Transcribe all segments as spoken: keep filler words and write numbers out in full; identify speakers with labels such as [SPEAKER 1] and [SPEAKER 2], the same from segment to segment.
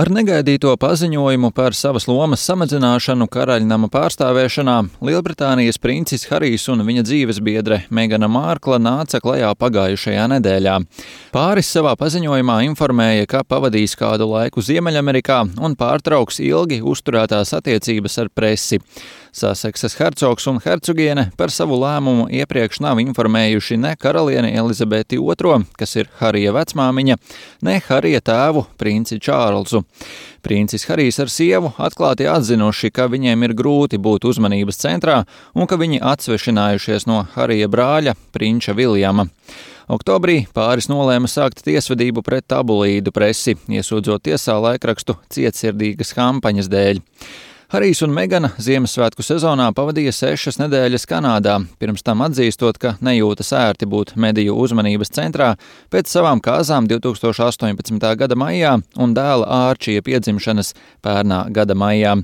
[SPEAKER 1] Ar negaidīto paziņojumu par savas lomas samazināšanu karaļnama pārstāvēšanā Lielbritānijas princis Harijs un viņa dzīvesbiedre Megana Mārkla nāca klajā pagājušajā nedēļā. Pāris savā paziņojumā informēja, ka pavadīs kādu laiku Ziemeļamerikā un pārtrauks ilgi uzturētās attiecības ar presi. Saseksas hercogs un hercogiene par savu lēmumu iepriekš nav informējuši ne karalieni Elizabeti otro, kas ir Harija vecmāmiņa, ne Harija tēvu, princi Čārlzu. Princis Harijs ar sievu atklāti atzinuši, ka viņiem ir grūti būt uzmanības centrā un ka viņi atsvešinājušies no Harija brāļa, prinča Viljama. Oktobrī pāris nolēma sākt tiesvedību pret tabloīdu presi, iesūdzot tiesā laikrakstu cietsirdīgas kampaņas dēļ. Harijs un Megana Ziemassvētku sezonā pavadīja sešas nedēļas Kanādā, pirms tam atzīstot, ka nejūtas ērti būt mediju uzmanības centrā pēc savām kāzām divtūkstoš astoņpadsmitā gada maijā un dēla Ārčija piedzimšanas pērnā gada maijā.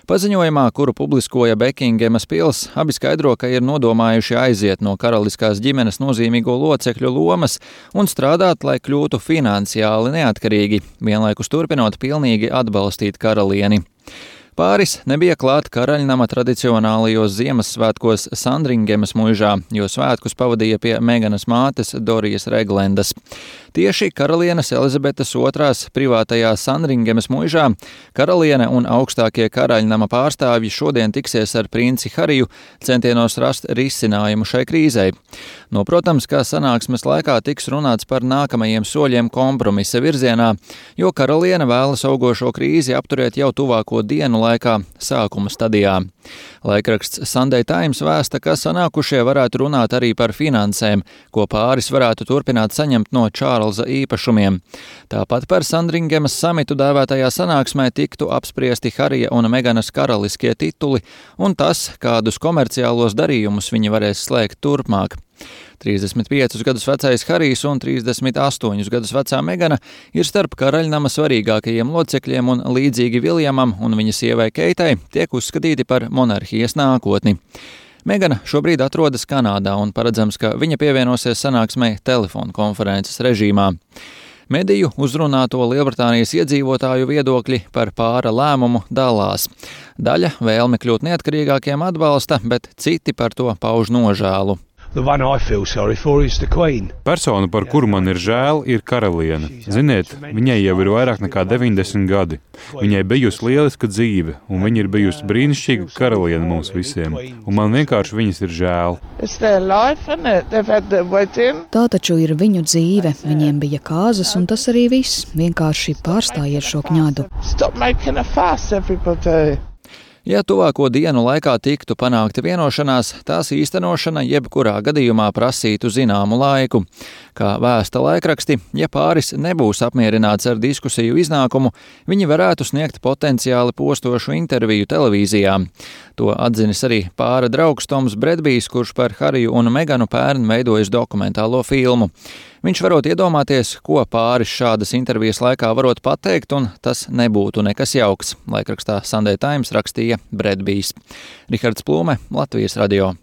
[SPEAKER 1] Paziņojumā, kuru publiskoja Bekingemas pils, abi skaidro, ka ir nodomājuši aiziet no karaliskās ģimenes nozīmīgo locekļu lomas un strādāt, lai kļūtu finansiāli neatkarīgi, vienlaikus turpinot pilnīgi atbalstīt karalieni. Pāris nebija klāt karaļnama tradicionālajos Ziemassvētkos Sandringemas muižā, jo svētkus pavadīja pie Meganas mātes Dorijas Reglendas. Tieši karalienes Elizabetes otrās privātajā Sandringemas muižā karaliene un augstākie karaļnama pārstāvji šodien tiksies ar princi Hariju centienos rast risinājumu šai krīzei. No, protams, kā sanāksmes laikā tiks runāts par nākamajiem soļiem kompromisa virzienā, jo karaliene vēlas augošo krīzi apturēt jau tuvāko dienu laikā sākuma stadijā. Laikraksts Sunday Times vēsta, ka sanākušie varētu runāt arī par finansēm, ko pāris varētu turpināt saņemt no Čārlza īpašumiem. Tāpat par Sandringemas samitu dēvētajā sanāksmē tiktu apspriesti Harija un Meganas karaliskie tituli un tas, kādus komerciālos darījumus viņi varēs slēgt turpmāk. trīsdesmit piecus gadus vecais Harijs un trīsdesmit astoņus gadus vecā Megana ir starp karaļnama svarīgākajiem locekļiem un līdzīgi Viljamam un viņa sievai Keitai tiek uzskatīti par monarhijas nākotni. Megana šobrīd atrodas Kanādā un paredzams, ka viņa pievienosies sanāksmei telefonu konferences režīmā. Mediju uzrunāto Lielbritānijas iedzīvotāju viedokļi par pāra lēmumu dalās. Daļa vēlmi kļūt neatkarīgākiem atbalsta, bet citi par to pauž nožēlu.
[SPEAKER 2] Persona, par kuru man ir žēl, ir karaliene. Ziniet, viņai jau ir vairāk nekā deviņdesmit gadi. Viņai bijusi lieliska dzīve, un viņa ir bijusi brīnišķīga karaliene mums visiem. Un man vienkārši viņas ir žēl.
[SPEAKER 3] Tā taču ir viņu dzīve. Viņiem bija kāzas, un tas arī viss. Vienkārši pārstājiet šo kņadu.
[SPEAKER 1] Ja tuvāko dienu laikā tiktu panākta vienošanās, tās īstenošana jebkurā gadījumā prasītu zināmu laiku. Kā vēsta laikraksti, ja pāris nebūs apmierināts ar diskusiju iznākumu, viņi varētu sniegt potenciāli postošu interviju televīzijā. To atzinis arī pāra draugs Toms Bredbijs, kurš par Hariju un Meganu pērn veidojis dokumentālo filmu. Viņš varot iedomāties, ko pāris šādas intervijas laikā varot pateikt, un tas nebūtu nekas jauks, laikrakstā Sunday Times rakstīja Bredbijs. Rihards Plūme, Latvijas radio.